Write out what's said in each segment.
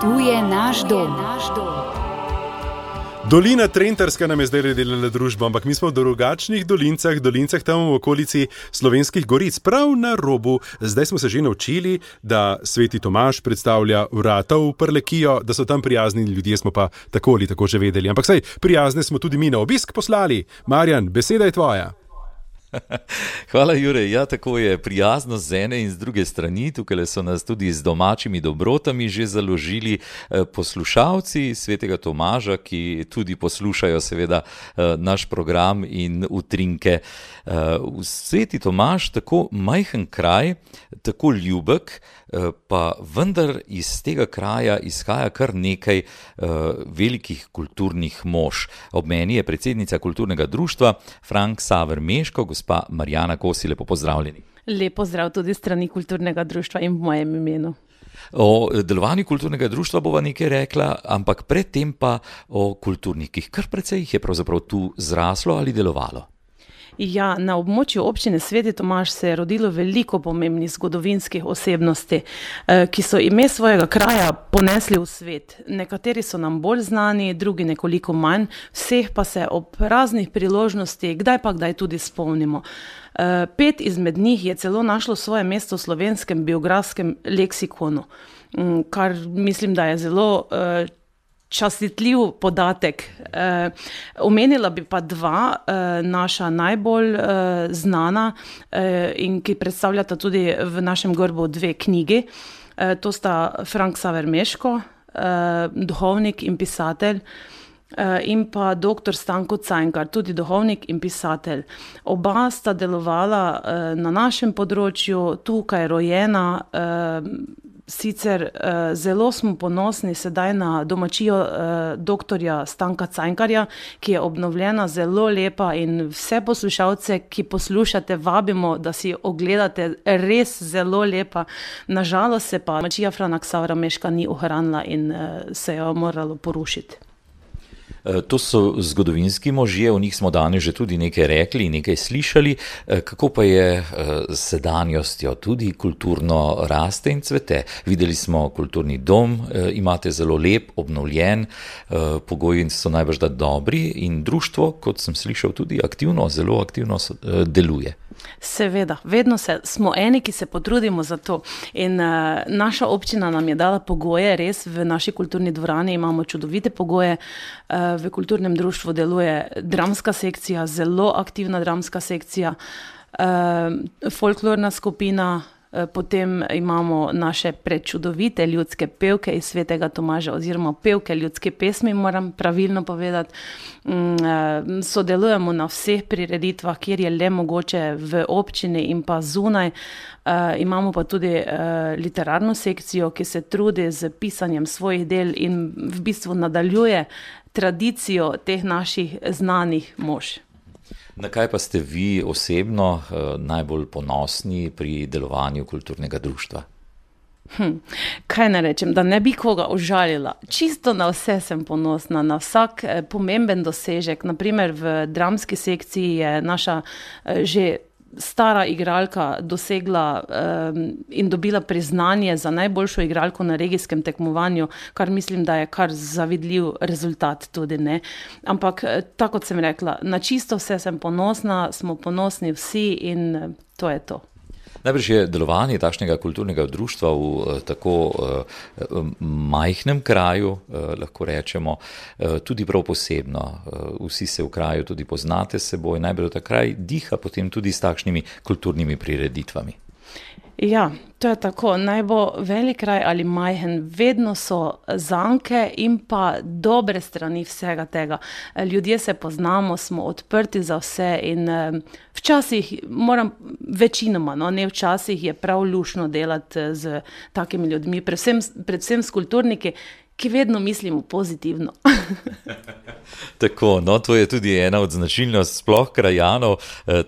Tu je naš dom. Dolina Trentarska nam je zdaj delala družbo, ampak mi smo v drugačnih dolincah tam v okolici Slovenskih goric, prav na robu. Zdaj smo se že naučili, da Sveti Tomaž predstavlja vrata v Prlekijo, da so tam prijazni ljudje, smo pa tako ali tako že vedeli. Ampak saj, prijazne smo tudi mi na obisk poslali. Marjan, beseda je tvoja. Hvala, Jure. Ja, tako je, prijazno z ene in z druge strani. Tukaj so nas tudi z domačimi dobrotami že založili poslušalci Svetega Tomaža, ki tudi poslušajo seveda naš program in utrinke. Sveti Tomaž, tako majhen kraj, tako ljubek, pa vendar iz tega kraja izhaja kar nekaj velikih kulturnih mož. Ob meni je predsednica kulturnega društva Frank Saver Meško, gospa Marjana Kosi, lepo pozdravljeni. Lep pozdrav tudi strani kulturnega društva in v mojem imenu. O delovanju kulturnega društva bova nekaj rekla, ampak predtem pa o kulturnikih. Kar precej jih je pravzaprav tu zraslo ali delovalo. Ja, na območju občine Sveti Tomaž se je rodilo veliko pomembnih zgodovinskih osebnosti, ki so ime svojega kraja ponesli v svet. Nekateri so nam bolj znani, drugi nekoliko manj, vseh pa se ob raznih priložnostih kdaj tudi spomnimo. 5 izmed njih je celo našlo svoje mesto v slovenskem biografskem leksikonu, kar mislim, da je zelo častitljiv podatek. Omenila bi pa 2 naša najbolj znana in ki predstavljata tudi v našem grbu 2 knjigi. To sta Frank Saver Meško, duhovnik in pisatelj, in pa dr. Stanko Cankar, tudi duhovnik in pisatelj. Oba sta delovala na našem področju, tukaj rojena. Sicer zelo smo ponosni sedaj na domačijo doktorja Stanka Cankarja, ki je obnovljena, zelo lepa, in vse poslušalce, ki poslušate, vabimo, da si ogledate, res zelo lepa. Nažalost se pa domačija Franka Savra Meška ni ohranila in se jo moralo porušiti. To so zgodovinski možje, o njih smo danes že tudi nekaj rekli in nekaj slišali. Kako pa je s sedanjostjo, tudi kulturno raste in cvete? Videli smo kulturni dom, imate zelo lep, obnovljen, pogoji so najbrž da dobri in društvo, kot sem slišal, tudi aktivno, zelo aktivno deluje. Seveda, vedno smo eni, ki se potrudimo za to, in naša občina nam je dala pogoje, res v naši kulturni dvorani imamo čudovite pogoje, v kulturnem društvu deluje dramska sekcija, zelo aktivna dramska sekcija, folklorna skupina, potem imamo naše prečudovite ljudske pevke iz Svetega Tomaža oziroma pevke ljudske pesmi, moram pravilno povedati. Sodelujemo na vseh prireditvah, kjer je le mogoče v občini in pa zunaj. Imamo pa tudi literarno sekcijo, ki se trudi z pisanjem svojih del in v bistvu nadaljuje tradicijo teh naših znanih mož. Na kaj pa ste vi osebno najbolj ponosni pri delovanju kulturnega društva? Kaj ne rečem, da ne bi koga užalila. Čisto na vse sem ponosna, na vsak pomemben dosežek. Naprimer v dramski sekciji je naša že stara igralka dosegla in dobila priznanje za najboljšo igralko na regijskem tekmovanju, kar mislim, da je kar zavidljiv rezultat tudi, ne. Ampak, tako kot sem rekla, na čisto vse sem ponosna, smo ponosni vsi in to je to. Najbrž je delovanje takšnega kulturnega društva v tako majhnem kraju, lahko rečemo, tudi prav posebno. Vsi se v kraju tudi poznate s seboj, najbrž ta kraj diha potem tudi s takšnimi kulturnimi prireditvami. Ja, to je tako. Naj bo velik kraj ali majhen, vedno so zanke in pa dobre strani vsega tega. Ljudje se poznamo, smo odprti za vse in včasih večinoma, no, ne včasih, je prav luštno delati z takimi ljudmi, predvsem s kulturniki, ki vedno mislimo pozitivno. Tako, no, to je tudi ena od značilnosti sploh krajanov,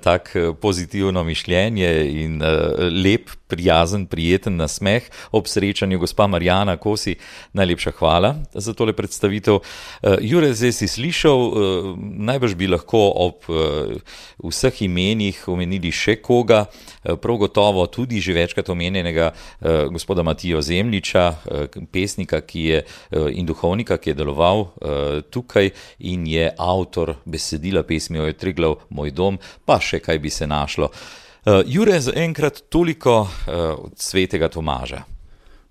tak pozitivno mišljenje in lep, prijazen, prijeten nasmeh ob srečanju. Gospa Marjana Kosi, najlepša hvala za tole predstavitev. Jure, zdaj si slišal, najbrž bi lahko ob vseh imenih omenili še koga, prav gotovo tudi že večkrat omenjenega gospoda Matijo Zemljiča, pesnika in duhovnika, ki je deloval tukaj in je avtor besedila pesmi Oj Triglav, moj dom, pa še kaj bi se našlo. Jure, zaenkrat toliko od svetega Tomaža.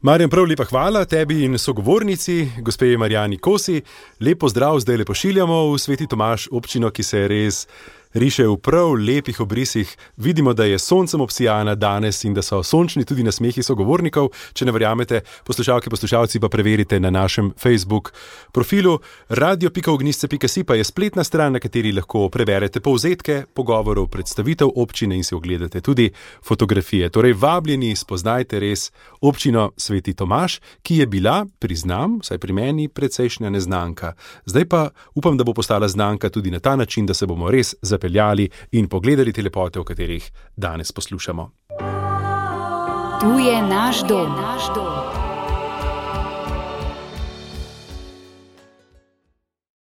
Marjan, prav lepa hvala tebi in sogovornici, gospe Marjani Kosi. Lep pozdrav zdaj le pošiljamo v Sveti Tomaž, občino, ki se je res riše v prav lepih obrisih. Vidimo, da je soncem obsijana danes in da so sončni tudi nasmehi sogovornikov. Če ne verjamete, poslušalke, poslušalci, pa preverite na našem Facebook profilu. radio.ognjišče.si pa je spletna stran, na kateri lahko preberete povzetke pogovorov, predstavitev občine in si ogledate tudi fotografije. Torej, vabljeni, spoznajte res občino Sveti Tomaž, ki je bila, priznam, vsaj pri meni, precejšnja neznanka. Zdaj pa upam, da bo postala znanka tudi na ta način, da se bomo res zapeljali in pogledali te lepote, o katerih danes poslušamo. Tu je naš dom.